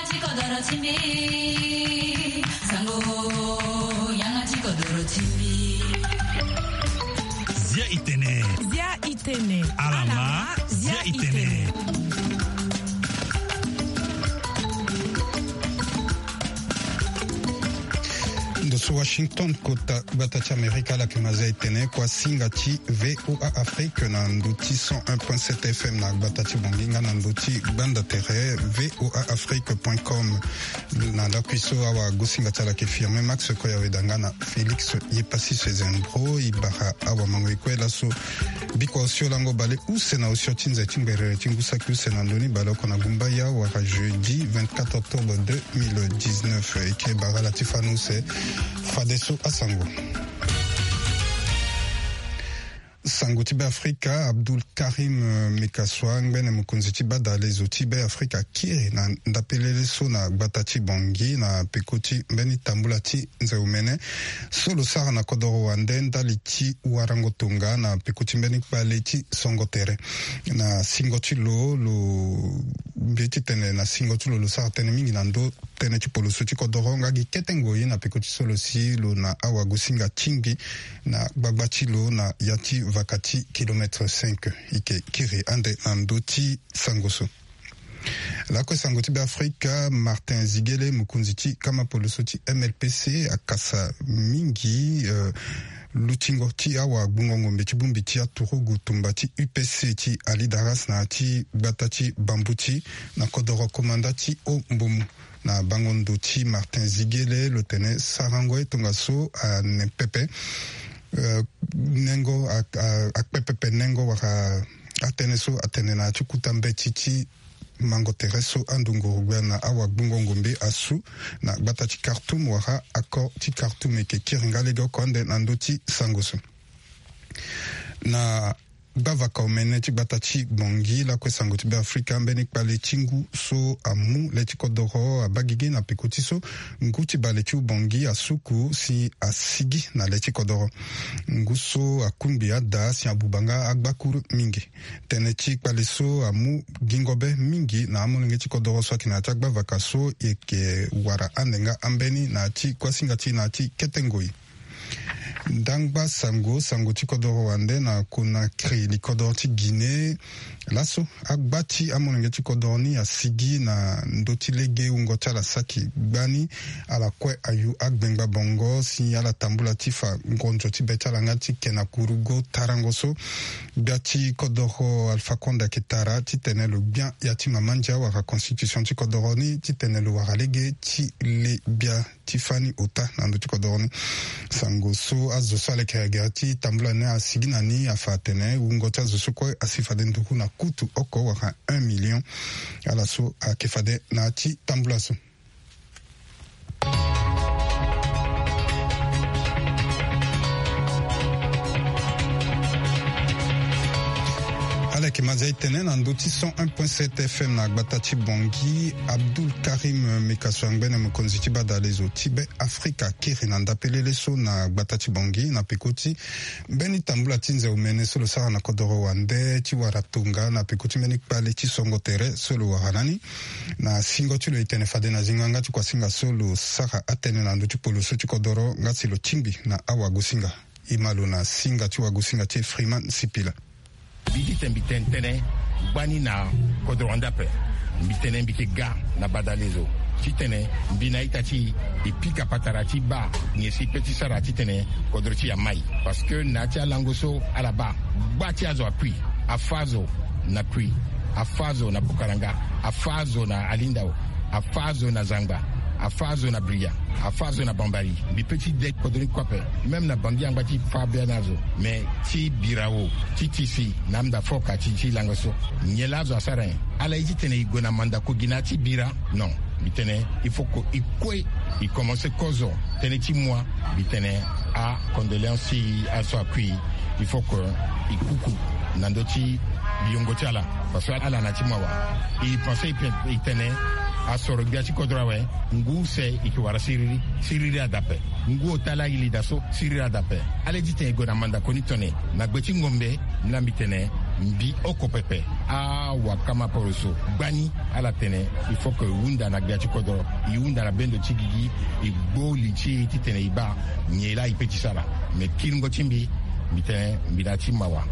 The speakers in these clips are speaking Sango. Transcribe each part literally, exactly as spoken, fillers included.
Ti kodoro ti mbi, sango, yanga ti kodoro ti mbi. Zia itene. Zia itene. Alama, zia itene. Ndo so Washington, kota gbata ti Amerika, ala yeke ma zia itene kua singa ti V O A Afrique na ndo ti cent un point sept F M na gbata ti Bangui nga na ndo ti gbanda tere V O A Afrique point com. Na lakui so awagosinga ti ala yeke firme Max Koyaweda nga na Félix Yepassis Zembro. E bara awamango e kue laso. Bikua osio lango bale use na osio ti nze ti ngberere ti ngu saki use na ndö ni baleoko na gumbaya wala jeudi vingt-quatre octobre deux mille dix-neuf. E yeke bara ala ti fani use fadeso asango. Sango ti Beafrika, Abdul Karim, eh, Mekaswa, ngbene mokonzi ti badalezo ti Beafrika, akiri na ndapelele so na gbata ti Bangui na peko ti mbeni tambula ti nze omene so lo sara na kodoro wande ndali ti warango tonga na peko ti mbeni kpale ti songo tere. Na singo ti lo, lo mbi titene na singo ti lo, lo sara tënë mingi na ndö tënë ti poloso ti kodoro nga gi kete ngoi na peko ti so lo si lo na awagosinga tingbi na gbagba ti lo na ya ti vaka ti kilomètre cinq. E yeke kiri ande na ndö ti sango so. Lakue sango ti Beafrika, Martin Ziguele, mokonzi ti kama poloso ti M L P C, akasa mingi, eh, lutingo ti awagbungo ngombe ti bongbi ti aturugu tumba ti U P C ti Alidaras na ya ti gbata ti Bambuti na kodoro komanda ti Ombomu. Na bango ndo ti Martin Ziguele, lo tene sarango ye tongaso ane pepe, eh, nengo a, a, akpe pepe nengo wala atënë so atene na ya ti kuta mbeti ti mango tere so ando nguru gbia na awagbungo ngombe asu na gbata ti Khartoum wala accord ti Khartoum. E yeke kiri nga lege oko ande na ndö ti sango so. Na gbavaka omene ti gbata ti Bangui, lakue sango ti Beafrika, mbeni kpale ti ngu so amu le ti kodoro abaa gigi na peko ti so ngu ti bale ti Bangui asuku si asigi na le ti kodoro. Ngu so akungbi ada si abuba nga agbakuru mingi. Tënë ti kpale so amu gingo be mingi na amolenge ti kodoro so ayeke na ya ti agbavaka so e yeke wara ande nga ambeni na ya ti kuasinga ti na ya ti kete ngoi. Ndangba sango, sango ti kodoro wande na Conakry, likodoro ti Guinée. Laso agba ti amolenge ti kodoro ni asigi na ndö ti lege wungo ti ala saki gbani. Ala kue ayu agbengba bongo si ala tambula ti fa ngonzo ti be ti ala nga ti ke na kurugo tarango so. Gbia ti kodoro Alpha Condé ayeke tara titene lo gbia ya ti mama ndia wala constitution ti kodoro ni titene lo wara lege ti le gbia ti fani ota na ndö ti kodoro ni. Sango so azo so ala yeke gere ti tambula ni asigi na ni afa atene wungo ti azo so kue asi fade nduru na kutu oko wala un million. Ala so ayeke fade na ya ti tambula so. Ala yeke ma zia e tene na ndö ti cent un point sept F M na gbata ti Bangui. Abdul Karim Mekaso angbene mokonzi ti badalezo ti Be Afrika akiri na ndapelele so na gbata ti Bangui na peko ti mbeni tambula ti nze omene so lo sara na kodoro wande ti wara tonga na peko ti mbeni kpale ti songo tere so lo wara na ni. Na singo ti lo e tene fade na zingo yanga ti kuasinga so lo sara atënë na ndö ti poloso ti kodoro nga si lo tingbi na awagosinga. E ma lo na singa ti wagosinga ti e Freeman Sipila. Mbi titene mbi tene tënë gbani na kodoro wande ape. Mbi tene mbi yeke ga na badalezo titene mbi na ita ti e pika patara ti baa nyen si e pe ti sara titene kodoro ti e amai. Parce que na ya ti alango so ala baa, gba ti azo akui, afa azo na kui, afa azo na Bukaranga, afa azo na Alindao, afa azo na Zangba, afa azo na Bria, afa azo na Bambari. Mbi pe ti de kodoro ni kue ape. Même na Bangui angba ti fa bia na azo. Mais ti bira wo, ti tisi na amda fo ka ti, ti lango so. Nyen laa azo asara nyen? Ala ye titene e gue na mandako gi na ya ti bira? Non. Mbi tene il faut que e kue, e commencer kozo tënë ti moi. Mbi tene acondoléance ti aso akui. Il faut que e kuku na ndö ti biongo ti ala. Parce que ala na ti mawa. E pensé e pe, e tene asoro gbia ti kodro awe. Ngu use e yeke wara siriri, siriri adape. Ngu ota laa e lida so, siriri adape. Ala ye titene e gue na mandako ni tongana nyen? Na gbe ti ngombe. Ni laa mbi tene mbi oko pepe. A Awakama poroso gbani ala tene il faut que e hunda na gbia ti kodro, e hunda na bendo ti gigi, e gbo li ti e titene e baa nyen laa e pe ti sara. Me kiringo ti mbi, mbi tene mbi na ya ti mawa,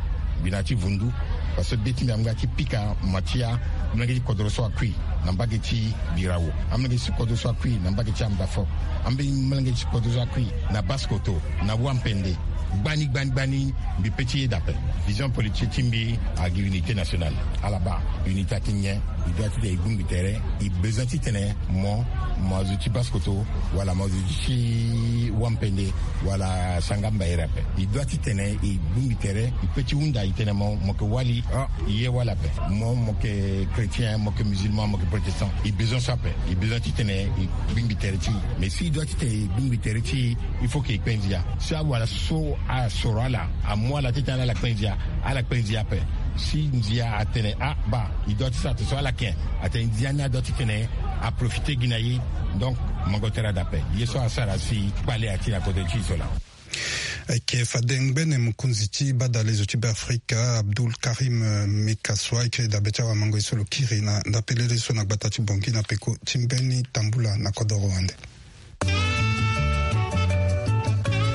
mbi na ya ti vundu. Parce que be ti mbi amu nga ti pika ma ti amolenge ti kodro so akui na mbage ti birawo, amolenge ti kodro so akui na mbage ti amdafo, amolenge ti kodro so akui na basse-kotto, na wampende. Gbani gbani gbani, mbi pe ti yeda ape. Vision politique ti mbi agi unité nationale. Ala baa unité ati nyen? E doit titene e bongbi tere. E besoin titene mo, mo azo ti basse-kotto, wala mo azo ti wampende, wala sanga mbayere ape. E doit titene e bongbi tere. E pe ti hunda e tene mo, mo yeke wali, ah, e ye wali ape. Mo, mo yeke chrétien, mo yeke musulman, mo yeke protestant. E besoin so ape. E besoin titene e bongbi tere ti e. Mais si e doit titene e bongbi tere ti e, il faut que e kpe ndia. Si awala so asoro ala amu ala titene ala kpe ndia, ala kpe ndia ape. Si ndia atene, ah, baa, e doit ti sara tere so, ala ken, atene ndia ni adoit titene aprofite gi na e. Donc mango tere ade ape. Ye so asara si kpale ati na kodro ti e so laa. Ayeke fade ngbene mokonzi ti badalezo ti Beafrika, Abdul Karim, eh, Mekassoua, ayeke dabe ti awamango ye so lo kiri na ndapelele so na gbata ti Bangui na peko ti mbeni tambula na kodoro wande. E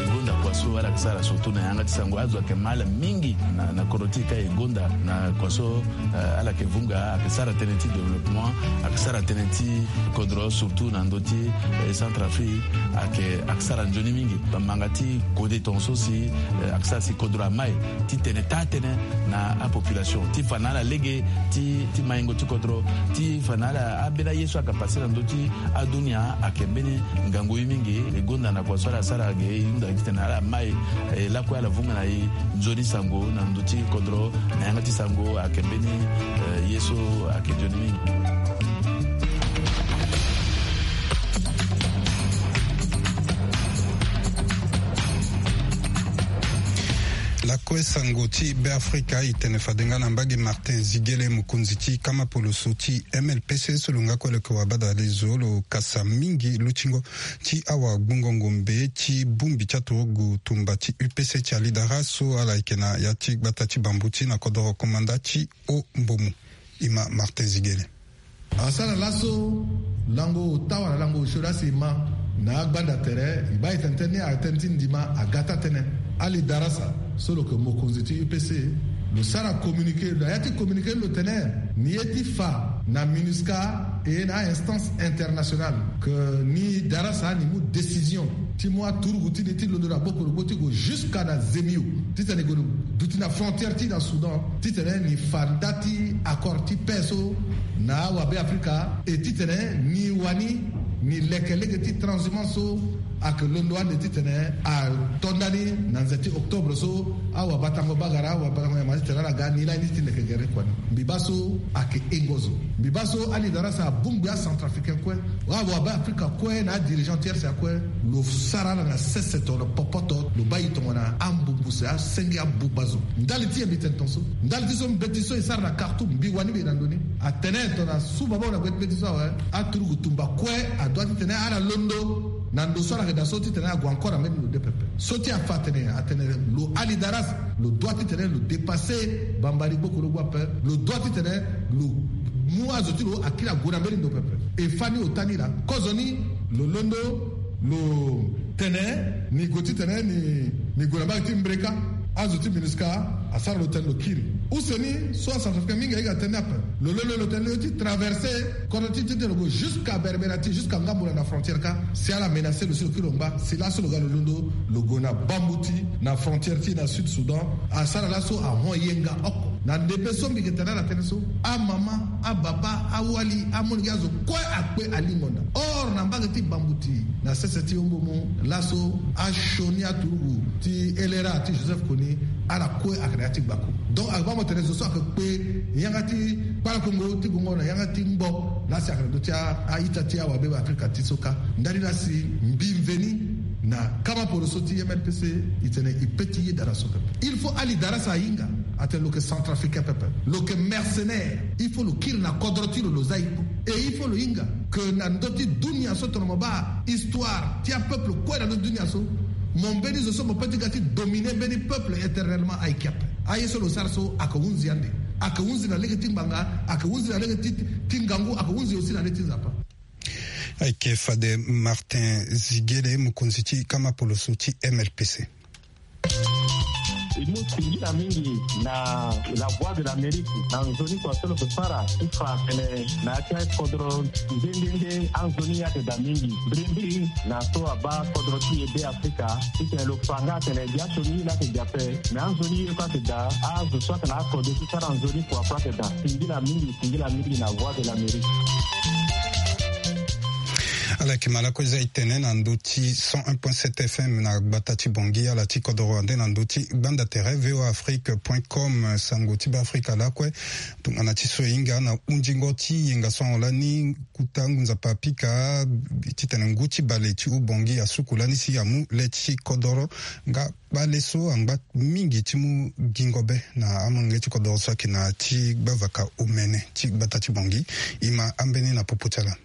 gonda kua so ala yeke sara surtout na yanga ti sango. Azo ayeke ma ala mingi na, na kodro ti e ka. E gonda na kua so, eh, ala yeke vunga, ayeke sara tënë ti développement, ayeke sara tënë ti kodro surtout na ndö ti, eh, Centrafrique. Ayeke, ayeke sara nzoni mingi. Bamanga ti kode tongaso si, eh, ayeke sara si kodro amai titene taa tënë na apopulation ti fa na ala lege ti, ti maingo ti kodro, ti fa na ala, ambeni aye so ayeke pase na ndö ti adunia ayeke mbeni ngangu ye mingi. E gonda na kua so ala sara ge, e hunda titene ala mai, eh, lakue ala vunga na e nzoni sango na ndö ti kodro, na yanga ti sango ayeke mbeni, eh, ye so ayeke nzoni mingi. Lakue sango ti Beafrika e tene fade nga na mbage Martin Ziguele, mokonzi ti kama poloso ti M L P C so lo nga kue lo yeke wabadalezo, lo kasa mingi lutingo ti awagbongo ngombe ti bongbi ti aturugu tumba ti U P C ti alidara so ala yeke na ya ti gbata ti Bambuti na kodoro komanda ti Haut-Mbomou. E ma Martin Ziguele. Asara laso lango ota wala lango osio laa si e ma na agbanda tere, e baa e tene tënë ni, atënë ti ndima aga taa tënë. Ali Darasa so lo yeke mokonzi ti U P C, lo sara communiqué, na ya ti communiqué ni lo tene ni ye ti fa na MINUSCA et na instance internationale que ni Darasa ni mu décision ti mu aturugu ti ni ti londo na Bokorogbo ti gue jusqu'à na Zemio, titene e gue duti na frontière ti na Soudan, titene ni fa nda ti accord ti paix so na awabe Afrika, e titene ni wani ni leke lege ti transhumance so ayeke londo ande titene ato ndani na nze ti octobre so, awabatango bagara, awabatango nyama titene ala ga ni lani ti leke gere kua ni. Mbi baa so ayeke e ngozo. Mbi baa so Ali Darasa abongbi acentrafricain kue, awabe Afrika kue na adirigeant ti R C A kue, lo sara ala na sese tongana popoto, lo baa e tongana ambumbu se asenge abumba zo. Ndali ti e mbi tene tongaso, ndali ti so mbeti so e sara na Khartoum, mbi wani mbi na ndo ni. Atene tongana suba baa na gue ti mbeti so awe, aturugu tumba kue adoit titene ala londo na ndo so ala yeke daa so titene ague encore na mbeni ndo de pepe. So ti afa atene, atene lo Ali Darasa, lo doit titene lo dépasser bambari Bokorogbo ape, lo doit titene lo mu azo ti lo akiri ague na mbeni ndo pepe. E fani ota ni laa kozoni lo londo, lo tene ni gue titene ni, ni gue na mbage ti Mbreka. Azo ti MINUSCA asara lo tene lo kiri. Use ni so acentrafricain mingi ayeke atene ni ape. Lo londo lo tene lo ye ti traverser kodro ti titene lo gue jusqu'à Berberati, jusqu'à Ngamboula na frontière ka. Si ala menacer lo si lo kiri lo ngba, si laso lo ga lo londo lo gue na Bambuti na frontière ti na Sud Soudan. Asara laso ahon yenga oko. Na ndembe so mbi yeke tene ala tënë so, amama, ababa, awali, amolenge, azo kue akpe alingo nda. Or na mbage ti Bambuti na sese ti Haut-Mbomou laso asioni aturugu ti L R A ti Joseph Kony, ala kue ayeke na ya ti gbako. Donc ayeke baa mo tene zo so ayeke kpe yanga ti kpalakongo ti gongo na yanga ti ngbo laa si ayeke na ndö ti a, a-ita ti awabe Afrika ti so ka. Ndali laa si mbi mveni na kama poroso ti M L P C, e tene e pe ti yeda na so pepe. Il faut Ali Darasa ahinga atene lo yeke centrafricain pepe, lo yeke mercenaire. Il faut lo kiri na kodro ti lo, lo za e kpo. Et il faut lo hinga que na ndö ti dunia so tongana mo baa histoire ti apeuple kue na ndö ti dunia so, mo mbeni zo so mo pe ti ga ti dominer mbeni peuple éternellement ayeke ape. Aye so lo sara so ayeke hunzi ande. Ake hunzi na lege ti ngbanga, ake hunzi na lege ti, ti ngangu, ake hunzi aussi na lege ti Nzapa. Ayeke fade Martin Ziguele, mokonzi ti kama poloso ti M L P C. E mu singila mingi na La Voix de l'Amérique na nzoni kua so lo yeke sara ti fa tene na ya ti akodro nde nde nde anzoni ye ayeke daa mingi mbirimbiri na so abaa kodro ti e Be Afrika. Titene lo fa nga atene gi asioni ye laa ayeke gi ape, me anzoni ye kue ayeke daa. Azo so atene akodro ti sara nzoni kua kue ayeke daa. Singila mingi, singila mingi na Voix de l'Amérique. Ala yeke ma lakue za e tene na ndö ti cent un point sept F M na gbata ti Bangui, ala ti kodoro ande na ndö ti gbanda tere V O A Afrique point com, sango ti Be Afrika lakue. Tongana ti so e hinga na hundingo ti yenga so ahon lani, kuta ngu Nzapa apika titene ngu ti bale ti Haut-Bangui asuku lani si amu le ti kodoro nga kpale so angba mingi ti mu gingo be na amolenge ti kodoro so ayeke na ya ti gbavaka omene ti gbata ti Bangui. E ma ambeni na popo ti ala.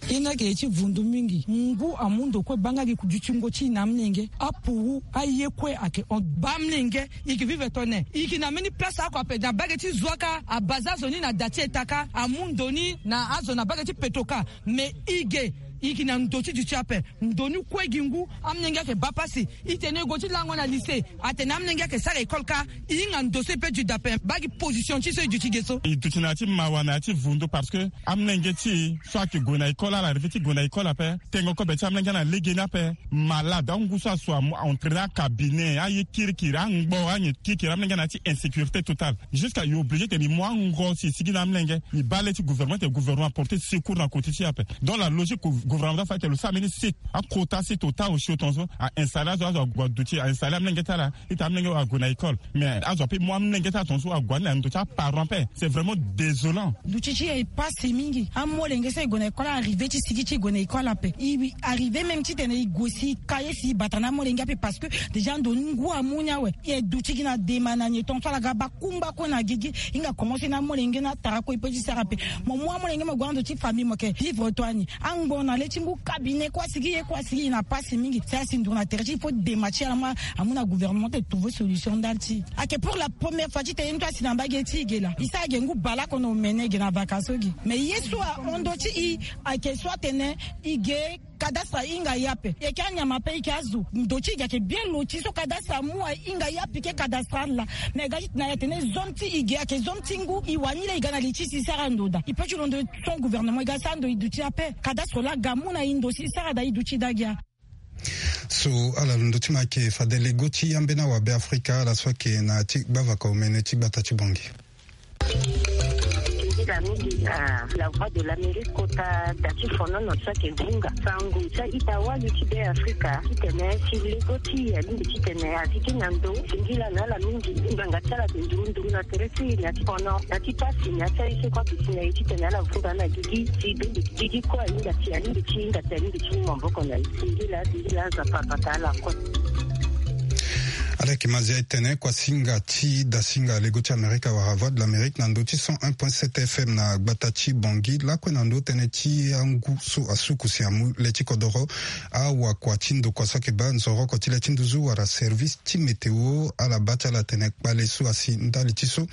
E ni ayeke ye ti vundu mingi. Ngu amu ndo kue baa nga gi dutingo ti e na amolenge. Apuru aye kue ayeke hon baa amolenge. E yeke vivre tone, e yeke na mbeni place oko ape na mbage ti Zuaka, abaa azo ni na da ti eta kâ, amu ndo ni na azo na mbage ti Petoka. Me e ge, e yeke na ndo ti duti ape. Ndo ni kue gi ngu, amolenge ayeke baa pasi. E tene e gue ti lango na lycée, atene amolenge ayeke sara école kâ. E hinga ndo so e pe duti daa ape, baa gi position ti so e duti ge so. E duti na ya ti mawa, na ya ti vundu, parce que amolenge ti e so ayeke gue na école, ala arrivé ti gue na école ape. Tengo kobe ti amolenge na legeni ape. Malade, angu so asu amu, a entraîner acabinet, aye kirikiri, angbo, anyen kirikiri, amolenge na ya ti insécurité totale. Jusqu'à e obligé tene e mu ango si e sigi na amolenge. E baa le ti gouvernement tene gouvernement aporter secours na côté ti e ape. Donc la logique gou-, gouvernement doit faire tene lo sara mbeni site, aquota site ota osio tongaso, a installer azo, azo ague aduti, a installer amolenge ti ala. Ita amolenge ague na école. Mais azo ape mu amolenge ti ala tongaso ague ani na ndo ti aparent ape. C'est vraiment désolant. Duti ti e pasi mingi. Amolenge so e gue na école, arrivé ti sigi ti e gue na école ape. E arrivé même titene e gue si e ka ye si e bata na amolenge ape, parce que déjà ndo ni ngu amu ni awe. E duti gi na dema na nyen tongaso ala ga baa kungba kue na gigi. E hinga commencer na amolenge ni atara kue e pe ti sara ape. Mo mu amolenge mo gue na ndo ti famille mo yeke vivre to ani. Angbo na le ti ngu cabinet kue asigi ye kue asigi, e na pasi mingi. Si asi nduru na tere ti e, il faut dema ti ala ma amu na gouvernement ti e trouver solution ndali ti e. Ayeke pour la première fois titene e ni to asi na mbage ti e ge laa. E sara ge ngu baleoko na omene ge na vacances so ge. Mais ye so ahon ndo ti e ayeke so atene e ge cadastre ahinga ye ape. E yeke anyama ape, e yeke azo. Ndo ti e ge ayeke bien loti so cadastre amu ahinga ye apike cadastre ala. Mais e ga ti tena e atene zone ti e ge ayeke zone ti ngu. E wani laa e ga na li ti si e sara ndo daa. E pe ti londo son gouvernement e ga sara ndo e duti ape. Cadastre laa aga mu na e ndo si e sara daa e duti daa gia. So ala londo ti ma ayeke fade lego ti ambeni awabe Afrika, ala so ayeke na ya ti gbavaka omene ti gbata ti Bangui. Singila mingi na La Voix de l'Amérique kota da ti fonono so ayeke vunga sango ti a-ita wali ti Be Afrika titene si lego ti e alingbi titene a sigi na ndo. Singila na ala mingi. Ngbanga ti ala ayeke nduru nduru na tere ti e na ya ti fono, na ya ti pasi, na ya ti aye so kue ayeke si na e titene ala vunga na gigi. Si be mbi gigi kue ahinga ti, alingbi ti hinga ti, alingbi ti mu maboko na e. Singila, singila, Nzapa abata ala kue. Ala yeke ma zia e tene kuasinga ti dasinga lego ti Amerika wala Voix de l'Amérique na ndö ti cent un point sept F M na gbata ti Bangui lakue na ndö tënë ti angu so asuku si amu le ti kodoro. Awakua ti ndokua so ayeke baa nzoroko ti le ti nduzu wala service ti météo, ala baa ti ala tene kpale so asi ndali ti so,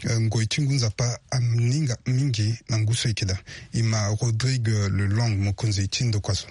eh, ngoi ti ngu Nzapa aninga mingi na ngu so e yeke daa. E ma Rodrigue Lelong, mokonzi ti ndokua so.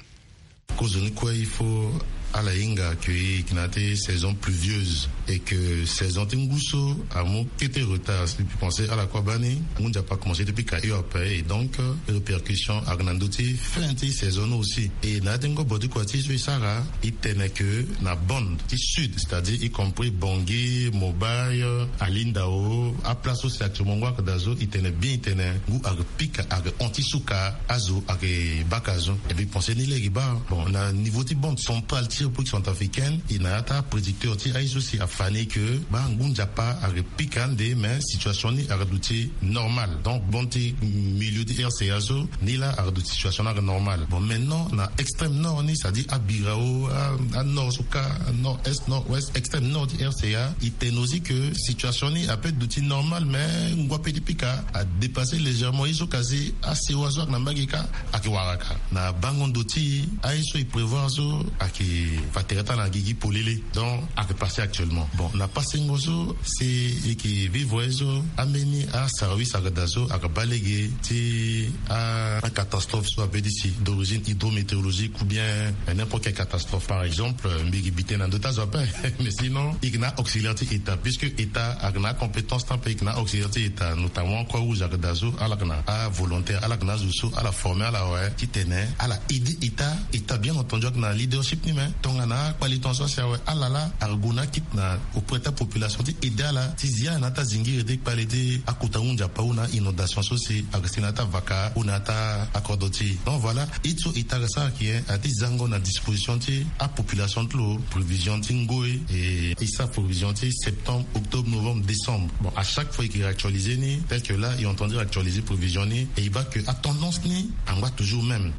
Kozoni kue, il faut ala hinga que e yeke na ya ti saison pluvieuse et que saison ti ngu so amu kete retard. Si mbi pense ala kue abaa ni, ngu Nzapa akomanse ti pika hio ape, et donc, euh, répercussion ayeke na ndö ti fin ti saison ni aussi. Et na ya ti ngobo ti kua ti so e sara, e tene que na bande ti sud, c'est-à-dire y compris Bangui, Mobay, Alindao, aplace so si actuellement ngu ayeke daa so, e tene bien, e tene ngu ayeke pika, ayeke hon ti suka, azo ayeke baka zo. Et puis, pensez ni lege baa, bon, na niveau ti bande centrale ti République centrafricaine, e na ya ti aprédicteur ti aye so si afa ni que baa ngu Nzapa ayeke pika ande, mais situation ni ayeke duti normal. Donc bande ti milieu ti R C A so, ni laa ayeke duti situation ni ayeke normal. Bon, maintenant na extrême nord ni, c'est-à-dire Abirao, a, a nord so kâ, nord-est, nord-ouest, extrême nord ti R C A, e tene aussi que situation ni ape duti normal, mais ngu ape ti pika adépasser légèrement. Ye so kasi asewa so ayeke na mbage kâ ayeke wara kâ. Na bango ndo ti e, aye so e prévoir so ayeke fa tere ti ala na gigi polele. Donc ayeke passer actuellement. Bon, na pasengo so si e ke vivre so, ambeni aservice ayeke daa so ayeke baa lege ti a, acatastrophe so abe ti si d'origine hydrométéorologique ou bien n'importe quelle catastrophe. Par exemple, mbi ke bi tënë na ndö ti azo ape. Mais sinon e ke na auxiliaire ti état, puisque état ayeke na compétence ti ape, e ke na auxiliaire ti état, notamment Croix Rouge ayeke daa so, ala yeke na avolontaire, ala yeke na azo so ala former ala awe titene ala aider état. État, bien entendu, ayeke na leadership ni, mais tongana akpali tongaso asi awe, ala laa ayeke gue na akite na auprès ti apopulation ti aider ala ti zi ala na ata zingiri ti kpale ti akota hunzi ape ou na inondation so si ayeke si na ata vaka ou na ata akodro ti e. Donc voilà, e ti so état ayeke sara ayeke nyen? Aye ti zango na disposition ti apopulation ti lo prévision ti ngoi, e e sara prévision ti septembre, octobre, novembre, décembre. Bon, à chaque fois e ke réactualiser ni, tel que là e entend dire actualiser prévision ni, e e baa que atendance ni angba toujours même.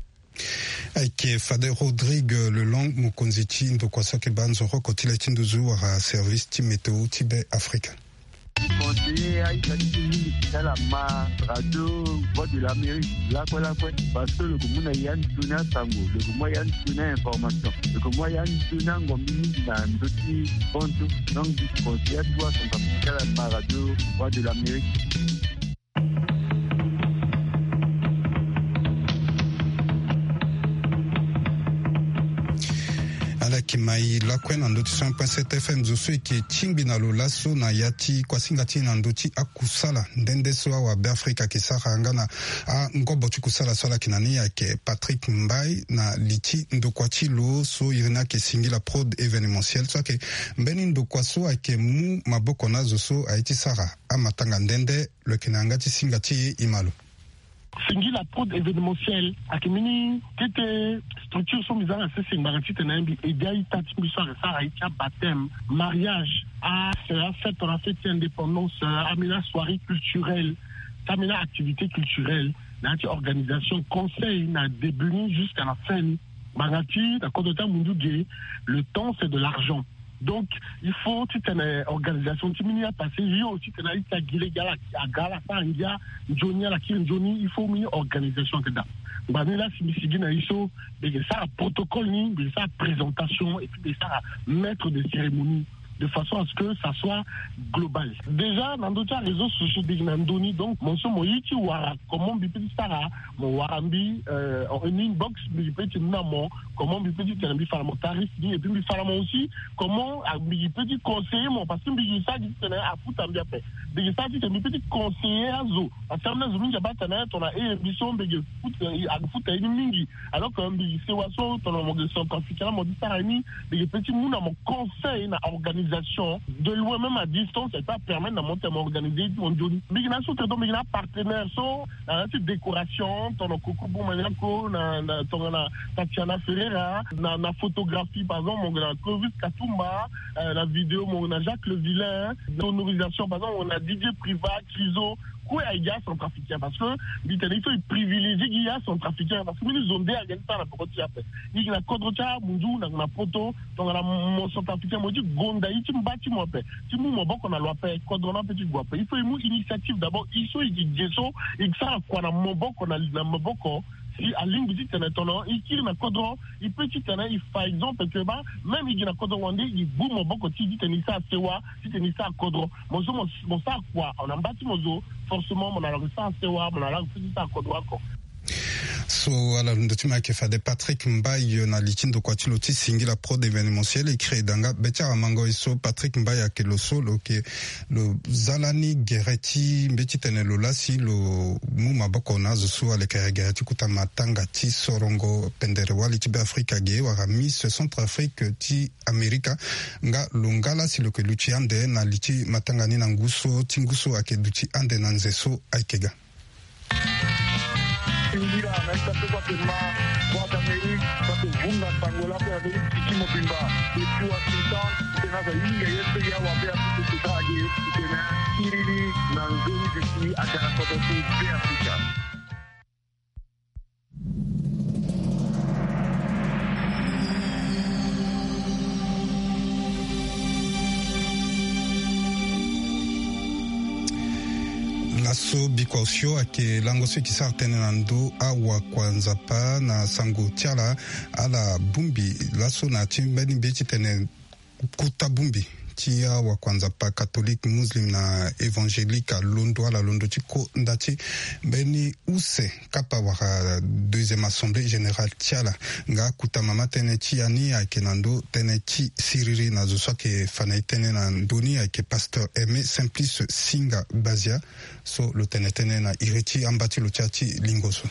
Ayeke fade Rodrigue Lelong, mokonzi ti ndokua so ayeke baa nzoroko ti le ti nduzu wala service ti météo ti Be Afrika. Conseiller aita ti mingi ti ala ma radio Voix de l'Amérique lakue lakue, parce que lo ke mu na ya nzoni asango, lo ke mu ya nzoni a-information, lo ke mu ya nzoni angombi mingi na ndö ti bantu. Donc, conseiller atuwa asango ti ala ma radio Voix de l'Amérique. Ala yeke mai lakue na ndö ti cent point sept F M, zo so e ke tingbi na lo laso na ya ti kuasinga ti e na ndö ti akusala nde nde so awabe Afrika ayeke sara nga na angobo ti kusala so ala yeke na ni. Ayeke Patrick Mbaye na li ti ndokua ti lo so iri ni ayeke Singila Prod Événementiel, so ayeke mbeni ndokua so ayeke mu maboko na azo so aye ti sara amatanga nde nde. Lo yeke na yanga ti singa ti e, e ma lo. Singila Prod Événementiel ayeke mbeni kete structure so mbi za na sese ngbanga titene mbi aide a-ita ti mbi so ayeke sara aye ti abaptême, mariage, a, afête, tongana fête ti indépendance, ambeni asoirée culturelle, ti ambeni a-activité culturelle, na ya ti organisation, conseil na début ni jusqu'à la fin ni. Ngbanga ti na kodro ti amundu ge, le temps c'est de l'argent. Donc il faut titene organisation ti mbeni apassé yo titene a-ita gi lege ala aga ala sara ngia nzoni, ala kiri nzoni, il faut mbeni organisation ayeke daa. Ngbanga ni laa si mbi sigi na e so, mbi yeke sara protocole ni, mbi yeke sara présentation et puis mbi yeke sara maître de cérémonie de façon à ce que ça soit global. Déjà na ndö ti aréseau sociaux, mbi yeke na ndö ni, donc mo so mo ye ti wara comment mbi peut ti sara, mo wara mbi, euh, en inbox, mbi peut ti mu na mo comment mbi peut ti tene mbi fa na mo tarif ni, et puis mbi fa na mo aussi comment, ah, mbi peut ti conseiller mo, parce que mbi yeke sara gi titene afuta mbi ape. Mbi yeke sara titene mbi peut ti conseiller azo, parce que ambeni azo mingi abaa tene tongana e mbi so mbi yeke futa, eh, afuta ye ni mingi. Alors que mbi yeke sewa so tongana mo yeke centrafricain la mo ti sara ye ni, mbi yeke peut ti mu na mo conseil na organisation de loin, même à distance, et ça permet na mo tene mo organiser ye ti mo nzoni. Mbi yeke na so tene, donc mbi yeke na apartenaire so na ya ti décoration, tongana Coco Bon Maniaco, na, na tongana Tatiana Ferreira, na, na photographie par exemple mo yeke na Clovis Katumba, euh, na vidéo mo yeke na Jacques Le Vilain, sonorisation par exemple mo yeke na Didier Privat, Criso, kue ayeke acentrafricain, parce que mbi tene il faut e privilégier gi acentrafricain, parce que mbeni zo nde ayeke ti sara na peko ti e ape. E yeke na kodro ti amunzu, na, na poto, tongana mo centrafricain mo ye ti gonda ye ti mba ti mo ape, ti mu maboko na lo ape, kodro ni ape ti gue ape. Il faut e mu initiative d'abord, e so e yeke ge so, e sara kua na maboko na, na maboko. Si alingbi titene tongana e kiri na kodro, e peut titene e fa exemple que baa même e gi na kodro wande, e gbu maboko ti e titene e sara sewa, titene e sara kodro. Mo so mo, mo sara kua na mba ti mo zo, forcément mo na lo sara sewa, mo na lo peut ti sara kodro oko. So ala londo ti mo ayeke fade Patrick Mbaye na li ti ndokua ti lo ti Singila Prod Événementiel, e kiri e daa nga be ti awamango e so Patrick Mbaye ayeke lo so lo yeke lo za lani gere ti mbeti tene lo laa si lo mu maboko na azo so alekere gere ti kota matanga ti sorongo pendere wali ti Beafrika ge wala Miss Centrafrique ti Amerika. Nga lo nga laa si lo yeke luti ande na li ti matanga ni na ngu so ti ngu so ayeke duti ande na nze so ayeke ga. Singila na ita so kue ake ma Voix d'Amérique, kue ake vunga sango lakue na ndö ti piki mobimba. Depuis Washington, tena aza hinga ye so ya wa Beafrika ti sara ge, tena kiriri na nzoni duti aga na kodro ti Beafrika. Laso bikua osio ayeke lango so e ke sara tënë na ndö awakua nzapa na sango ti ala. Ala bongbi laso na ya ti mbeni mbi ye ti tene kota bongbi ti awakuanzapa catholique, muslim na évangélique alondo ala londo ti ko nda ti mbeni use kapa wala deuxième assemblée générale ti ala. Nga akuta mama tënë ti ya ni ayeke na ndö tënë ti siriri na zo so ayeke fa na e tënë na ndö ni ayeke pasteur Aimé Simplice Singa Bazia, so lo tene tënë na iri ti amba ti lo ti ya ti lingo so.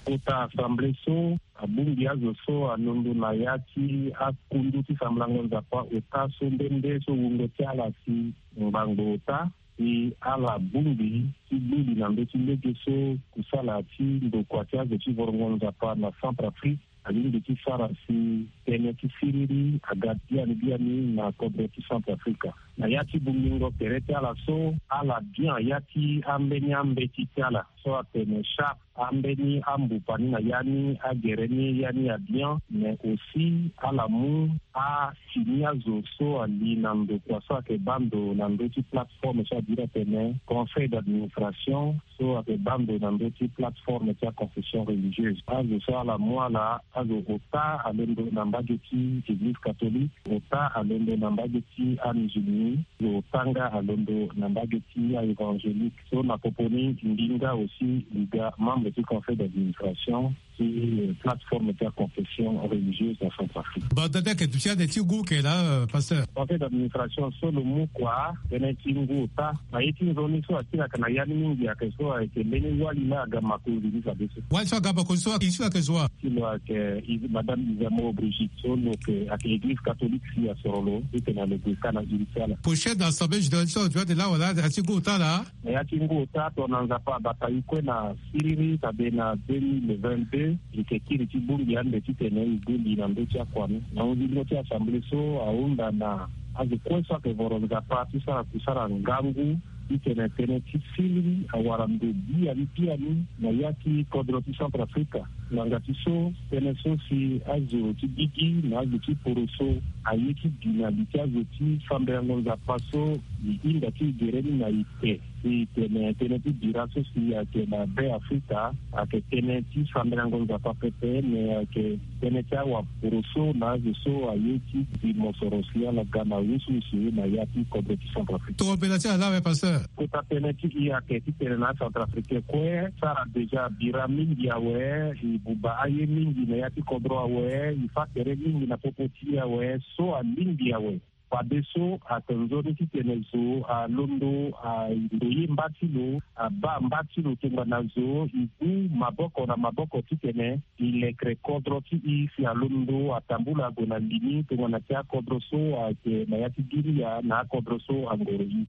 Kota assemblée so abongbi azo so alondo na ya ti akundu ti sambalango nzapa ota so nde nde so wungo ti ala si ngbangbo ota, si ala bongbi ti gbu li na ndö ti lege so kusala ti ndokua ti azo ti vorongo nzapa na Centrafrique alingbi ti sara si tënë ti siriri aga biani biani na kodro ti Centrafrique. Na ya ti bongbingo tere ti ala so, ala bian ya ti ambeni ambeti ti ala so atene charte, ambeni ambupa ni na ya ni, agere ni, ya ni abian, mais aussi ala mu asini azo so ali na ndokua so ayeke baa ndo na ndö ti plateforme so adiri atene conseil d'administration, so ayeke baa ndo na ndö ti plateforme ti aconfession religieuse. Azo so ala mu ala, azo ota alondo na mbage ti église catholique, ota alondo na mbage ti amusulmi, ota nga alondo na mbage ti aévangélique. So na popo ni mbi nga aussi mbi ga membre ti conseil d'administration ti, euh, plateforme ti aconfession religieuse na Centrafrique. Bon, donc, ayeke duti ande ti gu ke la, euh, pasteur? Conseil d'administration so lo mu kua tënë ti ngu ota. Na ye ti nzoni so akiri ayeke na ya ni mingi ayeke so ayeke mbeni wali la aga makonzi ni fadeso. Wali so aga makonzi so ayeke, so ayeke zo wa? Ti lo ayeke Is-, madame Isamo Brigitte so lo yeke, ayeke église catholique si asoro lo titene lo gue ka na iri ti ala. Prochaine assemblée générale so aduti ande la wala ati ngu ota la? Na ya ti ngu ota tongana Nzapa abata e kue na siriri, fade na deux mille vingt-deux e yeke kiri ti bongbi ande titene e gue li na ndö ti akua ni. Na hunzingo ti assemblée so ahunda na azo kue so ayeke voro Nzapa ti sara kusala ngangu titene tënë ti siriri awara ndo biani biani na ya ti kodro ti Centrafrique. Ngbanga ti so, tënë so si azo ti gigi na azo ti poroso aye ti bi na li ti azo ti sambelango Nzapa so e hinda ti e gere ni na ete. Si tene tënë ti bira so si ayeke na Be Afrika ayeke tënë ti sambelango Nzapa pepe, me ayeke tënë ti awaporoso na azo so aye ti bi mosoro si ala ga na wusuwusu na ya ti kodro ti Centrafrique. Tongana mbela ti ala awe, pasteur? Kota tënë ti e ayeke titene na aCentrafricain kue sara déjà bira mingi awe, e buba aye mingi na ya ti kodro awe, e fâ tere mingi na popo ti e awe, so alingbi awe. Fadeso ayeke nzoni titene zo alondo ando ye mba ti lo, abaa mba ti lo tongana zo e gu maboko na maboko titene e lekere kodro ti e si alondo atambula ague na li ni tongana ti akodro so ayeke na ya ti Guinea na akodro so angoro e.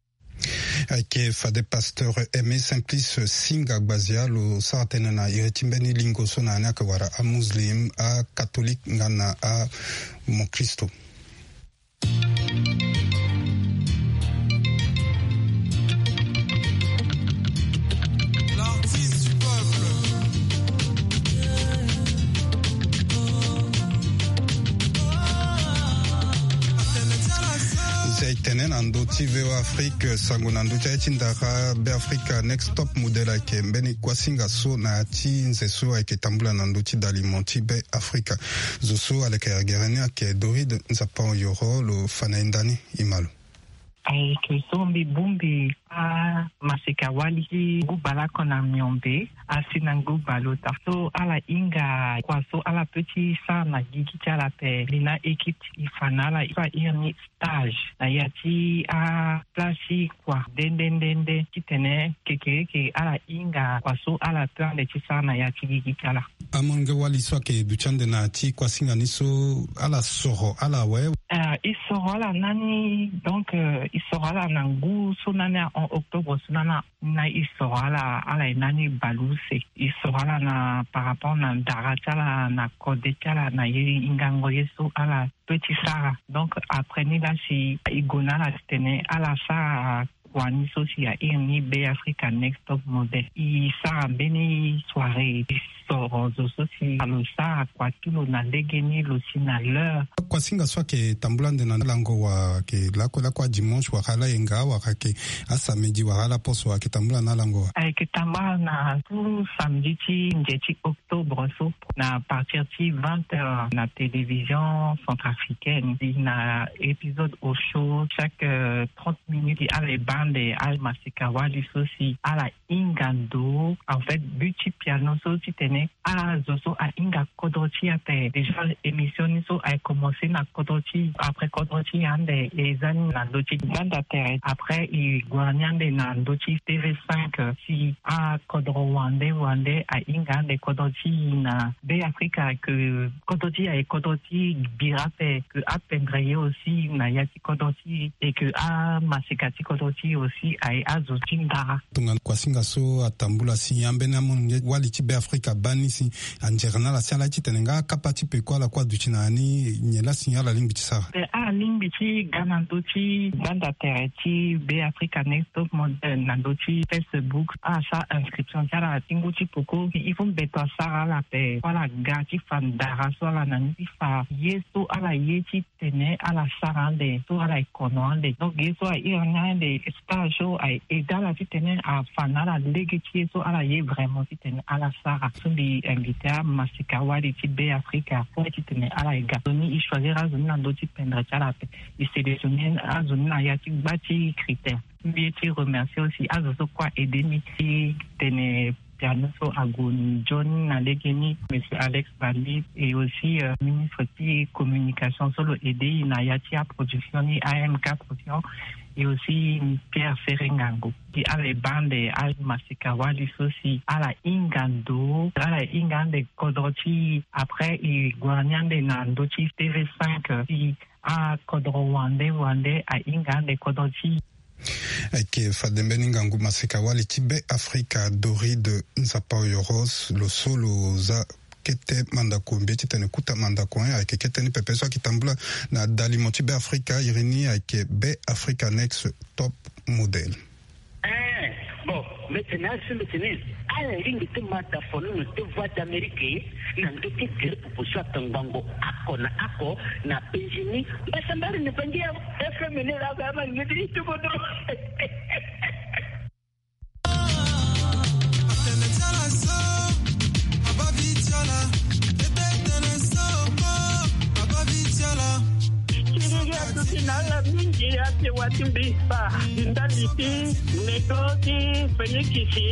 Ayeke fade pasteur Aimé Simplice Singa Gbazia lo sara tënë na iri ti mbeni lingo so na ya ni ayeke wara amuslim, akatholik nga na amokristo. L'artiste du peuple. Nze tene na ndö ti V O A Afrique, sango na ndö ti aye ti ndara Be Afrika. Next Top Model ayeke mbeni kuasinga so na ya ti nze so ayeke tambula na ndö ti dalimo ti Be Afrika. Zo so aleke gere ni ayeke Doride Nzapa Oyoro, lo fa na e ndani, e ma lo. Ayeke so mbi bongbi amaseka wali ti ngu bale oko na miombe asi na ngu bale ota. So ala hinga kua so ala peut ti sara na gigi ti ala ape. Mbi na équipe e fa na ala so a iri ni stage na ya ti aplace ti kua nde nde nde nde titene kekereke ala hinga kua so ala peut ande ti sara na ya ti gigi ti ala. Amolenge wali so ayeke duti ande na ya ti kuasinga ni so, ala soro ala awe? Ah, e soro ala nani, donc, euh, e soro ala na ngu so nani a, en octobre so nani a, na e soro ala, ala e nani bale use. E soro ala na par rapport na ndara ti ala, na kode ti ala, na ye hingango ye so ala peut ti sara. Donc après ni la si e gue na ala titene ala sara kua ni so si airi ni Be Africa Next Top Model. E sara mbeni soirée, e soro zo so si lo sara kua ti lo na lege ni, lo si na l'heure. Kuasinga so ayeke tambula ande na lango wa, ayeke lakue lakue adimanche wala ayenga wala ayeke asamedi wala ala poso ayeke tambula na lango wa? Ayeke tambula na tout samedi ti nze ti octobre so, na partir ti vingt heures na télévision centrafricaine. E na épisode au show, chaque, euh, trente minutes ala e baa ande amaseka-wali so si ala hinga ndo. En fait, but ti piano so titene azo so ahinga kodro ti e ape. Déjà, émission ni so aye commencé na kodro ti, après kodro ti e ande, e za ni na ndö ti gbanda tere. Après, e gue ni ande na ndö ti T V cinq, si akodro wande wande ahinga ande kodro ti e na Be Afrika, que kodro ti e aye kodro ti bira ape, que apendre ye aussi na ya ti kodro ti e, et que amaseka ti kodro ti e aussi aye azo ti ndara. Tongana kuasinga so atambula si ambeni amolenge wali ti Be Afrika abaa ni si, anzere na ala si ala ye titene nga akapa ti peko ala kue aduti na ya ni, nyen laa si ala lingbi ti sara? Eh, ala lingbi ti ga na ndö ti gbanda tere ti Be Africa Next Top Model na ndö ti Facebook, ala sara inscription ti ala ti ngu ti peko. Il faut mbeto asara ala ape, ala ga ti fa ndara so ala na ni ti fa ye so ala ye ti tene ala sara ande, so ala e kono ande. Donc ye so airi ni ande, stage so aye aidé ala titene afa na ala lege ti ye so ala ye vraiment titene ala sara. So mbi invité amaseka wali ti Be Afrika kue titene ala e ga. Nzoni e choisir azo ni na ndö ti pendre ti ala ape. E sélectionner azo ni na ya ti gba ti critère. Mbi ye ti remercier aussi azo so kue a aidé ni ti tene piano so ague nzoni na lege ni, Monsieur Alex Bali, et aussi, euh, ministre ti communication so lo aidé e na ya ti aproduction ni, A M K Production, et aussi Pierre Ferre Ngango. Ti ala e baa ande amaseka wali so si ala hinga ndo, ala hinga ande kodro ti e. Après e gue ni ande na ndö ti T V cinq, si akodro wande wande ahinga ande kodro ti e. Ayeke fade mbeni ngangu maseka wali ti Be Afrika Doride Nzapaoyoros, lo so lo za kete mandako, mbi ye titene kuta mandako, eh, ayeke kete ni pepe so ayeke tambula na dalimo ti Be Afrika. Iri ni ayeke Be Africa Next Top Model. Eh, bon, mbi tene asi mbi tene ala lingbi ti ma da fonono ti Voix d'Amérique na ndö ti gere popo so atongbango oko na oko na penzi ni. Mbasambari ni bangi ya F M ni la ba ma ngedi ti kodro. Ti atuti na ala mingi ate wati mbi fa ndali ti nego ti fenikisi,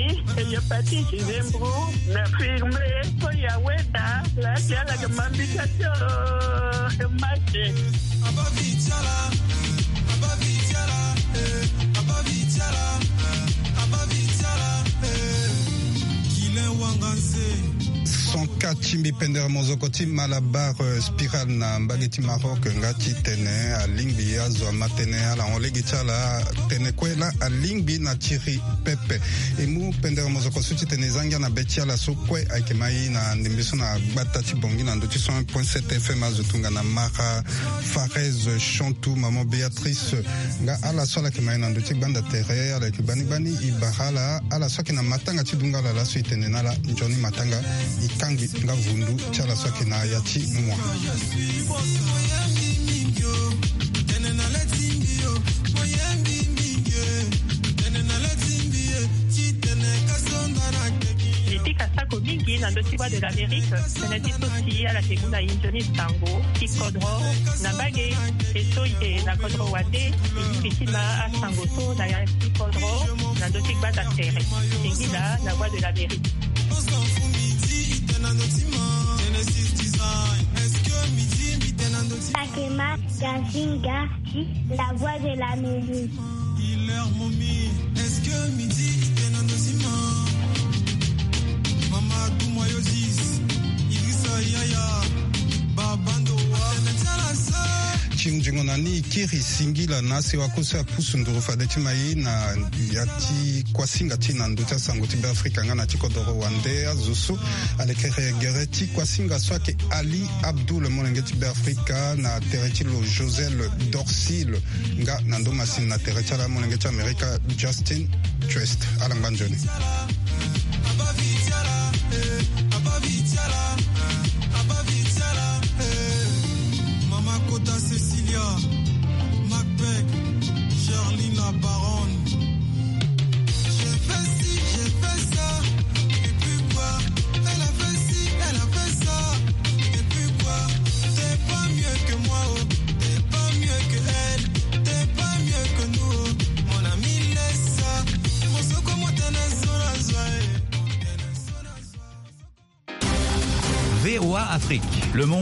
hepatite, zembro, na firme, so ya weda la ti ala ke mambika tio mache. Son ka ti mbi pendere mozoko ti Malabar, euh, Spiral na mbage ti Maroc, nga ti tene alingbi azo ama tënë ala hon lege ti ala tene kue laa alingbi na tiri pepe. E mu pendere mozoko so ti tene e za ngia na be ti ala so kue ayeke ma i na ndembe so na gbata ti Bangui na ndö ti cent un point sept F M, azo tongana Mara, Farez, Chantou, Maman Béatrice, nga ala so ala yeke ma i na ndö ti gbanda tere, ala yeke gbani gbani. E bara ala, ala so ayeke na matanga ti dunga ala laso e tene na ala nzoni matanga, e kangbi nga vundu ti ala so ayeke na ya ti mua. Mbi pika sako mingi na ndö ti Voix de l'Amérique, tënë ti so si ala yeke mu na e nzoni sango ti kodro na mbage. E so e yeke na kodro wande, e lingbi ti ma asango so na ya ti kodro na ndö ti gbanda tere. Singila na Voix de l'Amérique. Sakema Gazinga, La Voix de l'Amérique. Ti nzingo na ni e kiri singila na asewa kue so apusu nduru fade ti ma e na ya ti kuasinga ti e na ndö ti asango ti Beafrika nga na ti kodoro wande. Azo so alekere gere ti kuasinga so ayeke Ali Abdoul, molenge ti Beafrika, na tere ti lo Josel Dorsil, nga na ndö masini na tere ti ala molenge ti Amerika Justin Quest. Ala ngba nzoni. Mama Kota, Cecilia, Macbeth, Charline la baronne. J'ai fait ci, j'ai fait ça, et puis quoi ? Elle a fait ci, elle a fait ça, et puis quoi ? T'es pas mieux que moi, oh, t'es pas mieux que elle, t'es pas mieux que nous, oh. Mon ami, laisse ça. Mon soko, mon tenez, zora, zora, eh. V O A Afrique, le monde.